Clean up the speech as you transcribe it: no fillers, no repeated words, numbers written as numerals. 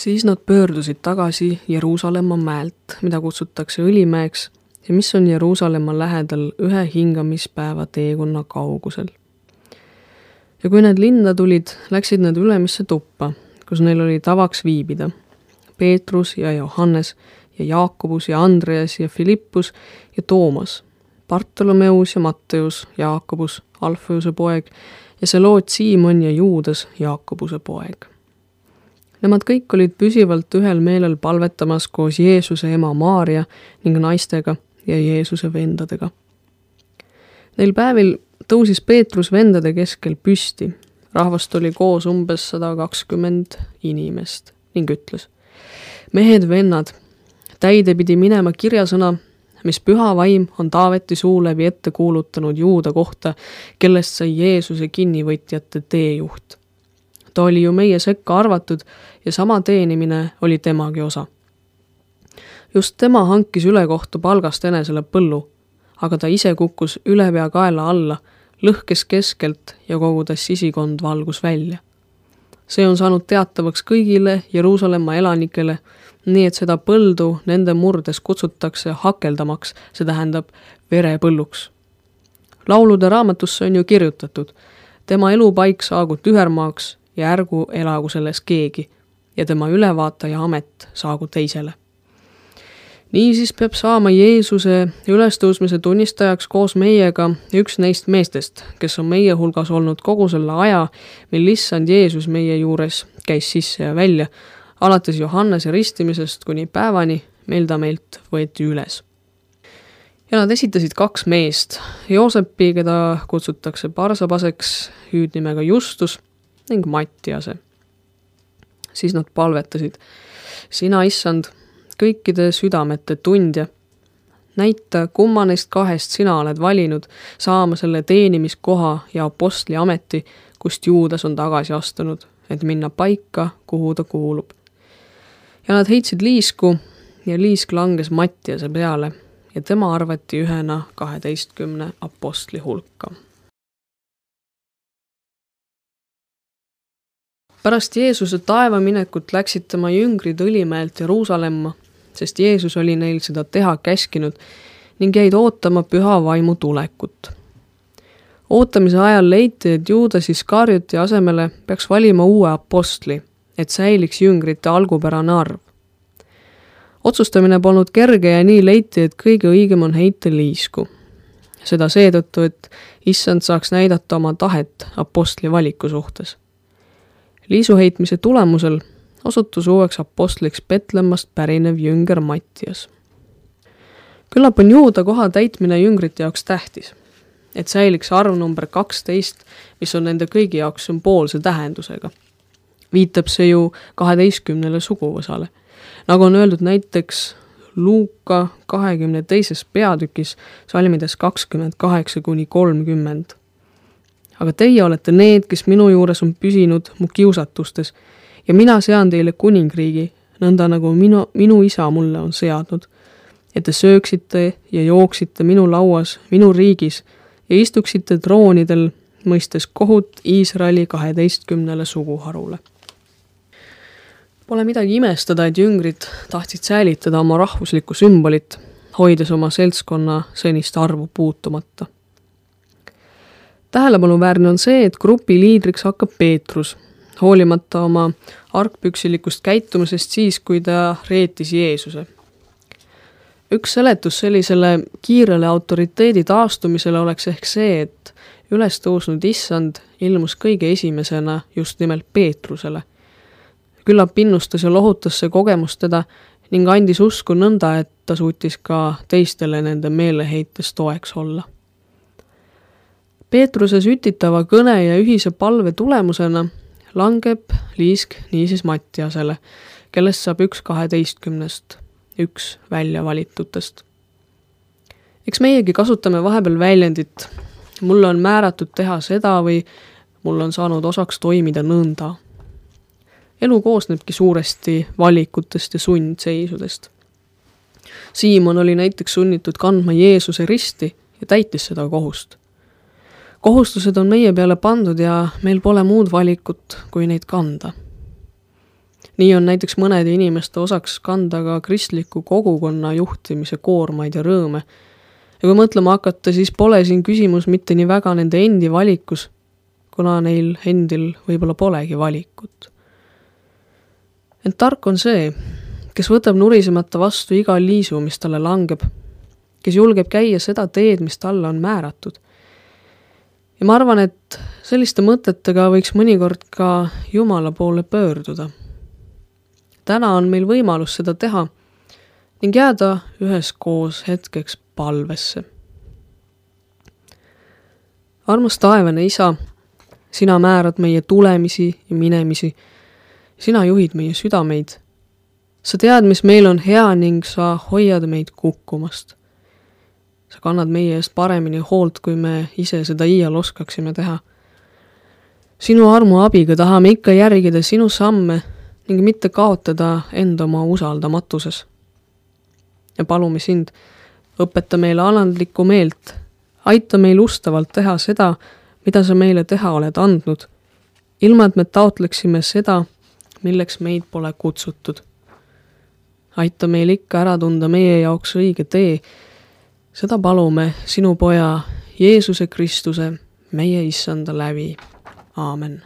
Siis nad pöördusid tagasi Jeruusalemma mäelt, mida kutsutakse Õlimäeks ja mis on Jeruusalemma lähedal 1 hingamispäeva teekonna kaugusel. Ja kui need linna tulid, läksid nad ülemisse tuppa, kus neil oli tavaks viibida. Peetrus ja Johannes ja Jaakobus ja Andreas ja Filippus ja Toomas, Bartolomeus ja Matteus, Jaakobus, Alfeuse poeg ja Seloot Siimon ja Juudas, Jaakobuse poeg. Nemad kõik olid püsivalt ühel meelel palvetamas koos Jeesuse ema Maaria ning naistega ja Jeesuse vendadega. Neil päevil tõusis Peetrus vendade keskel püsti. Rahvast oli koos umbes 120 inimest ning ütles: mehed, vennad, täide pidi minema kirjasõna, mis püha vaim on Taaveti suu läbi ette kuulutanud Juuda kohta, kellest sai Jeesuse kinnivõtjate teejuht. Ta oli ju meie sekka arvatud ja sama teenimine oli temagi osa. Just tema hankis ülekohtu palgast enesele põllu, aga ta ise kukkus ülepea kaela alla, lõhkes keskelt ja kogu ta sisikond valgus välja. See on saanud teatavaks kõigile Jeruusalemma elanikele, nii et seda põldu nende murdes kutsutakse hakeldamaks, see tähendab verepõlluks. Laulude raamatusse on ju kirjutatud: tema elupaik saagu tühermaaks ja ärgu elagu selles keegi ja tema ülevaataja amet saagu teisele. Niisiis peab saama Jeesuse ülestõusmise tunnistajaks koos meiega üks neist meestest, kes on meie hulgas olnud kogu selle aja, mil issand Jeesus meie juures käis sisse ja välja, alates Johannese ristimisest kuni päevani, mil ta meilt võeti üles. Ja nad esitasid 2 meest, Joosepi, keda kutsutakse Barsabaseks, hüüdnimega Justus, ning Mattiase. Siis nad palvetasid: sina, issand, kõikide südamete tundja, näita, kumma neist 2 sina oled valinud saama selle teenimiskoha ja apostli ameti, kust Juudas on tagasi astunud, et minna paika, kuhu ta kuulub. Ja nad heitsid liisku ja liisk langes Mattiase peale ja tema arvati ühena 12 apostli hulka. Pärast Jeesuse taevaminekut läksid tema jüngrid Õlimäelt Jeruusalemma, sest Jeesus oli neil seda teha käskinud ning jäid ootama püha vaimu tulekut. Ootamise ajal leiti, et Juudas Iskarioti asemele peaks valima uue apostli, et säiliks jüngrite algupärane arv. Otsustamine polnud kerge ja nii leiti, et kõige õigem on heita liisku. Seda seetõttu, et issand saaks näidata oma tahet apostli valiku suhtes. Liisu heitmise tulemusel osutus uueks apostliks Betlemmast pärinev jünger Mattias. Küllap on Juuda koha täitmine jüngrite jaoks tähtis, et säiliks arv number 12, mis on nende kõigi jaoks sümboolse tähendusega. Viitab see ju 12 suguvõsale, nagu on öeldud näiteks Luuka 22. peatükis salmides 28-30. Aga teie olete need, kes minu juures on püsinud mu kiusatustes ja mina sean teile kuningriigi, nõnda nagu minu isa mulle on seadnud, et te sööksite ja jooksite minu lauas, minu riigis ja istuksite troonidel, mõistes kohut Iisraeli 12 suguharule. Pole midagi imestada, et jüngrid tahtsid säilitada oma rahvuslikku sümbolit, hoides oma seltskonna senist arvu puutumata. Tähelepanuväärne on see, et grupi liidriks hakkab Peetrus, hoolimata oma argpüksilikust käitumisest siis, kui ta reetis Jeesuse. Üks seletus sellisele kiirele autoriteedi taastumisele oleks ehk see, et üles tõusnud issand ilmus kõige esimesena just nimelt Peetrusele. Küllap innustas ja lohutas see kogemus teda ning andis usku nõnda, et ta suutis ka teistele nende meeleheites toeks olla. Peetruse sütitava kõne ja ühise palve tulemusena langeb liisk niisiis Mattiasele, kellest saab 1 12 välja valitutest. Eks meiegi kasutame vahepeal väljendit, mulle on määratud teha seda või mul on saanud osaks toimida nõnda. Elu koosnebki suuresti valikutest ja sundseisudest. Siimon oli näiteks sunnitud kandma Jeesuse risti ja täitis seda kohust. Kohustused on meie peale pandud ja meil pole muud valikut, kui neid kanda. nii on näiteks mõnede inimeste osaks kanda ka kristliku kogukonna juhtimise koormaid ja rõõme. Ja kui mõtlema hakata, siis pole siin küsimus mitte nii väga nende endi valikus, kuna neil endil võib-olla polegi valikut. Ent tark on see, kes võtab nurisemata vastu iga liisu, mis talle langeb, kes julgeb käia seda teed, mis talle on määratud. Ja ma arvan, et selliste mõtetega võiks mõnikord ka Jumala poole pöörduda. Täna on meil võimalus seda teha ning jääda üheskoos hetkeks palvesse. Armas taevane Isa, sina määrad meie tulemisi ja minemisi, sina juhid meie südameid. Sa tead, mis meil on hea ning sa hoiad meid kukkumast. Sa kannad meie eest paremini hoolt, kui me ise seda iial oskaksime teha. Sinu armu abiga tahame ikka järgida sinu samme ning mitte kaotada enda oma usaldamatuses. Ja palume sind, õpeta meile alandlikku meelt, aita meil ustavalt teha seda, mida sa meile teha oled andnud, ilma et me taotleksime seda, milleks meid pole kutsutud. Aita meil ikka ära tunda meie jaoks õige tee, seda palume sinu poja Jeesuse Kristuse, meie issanda läbi. Aamen.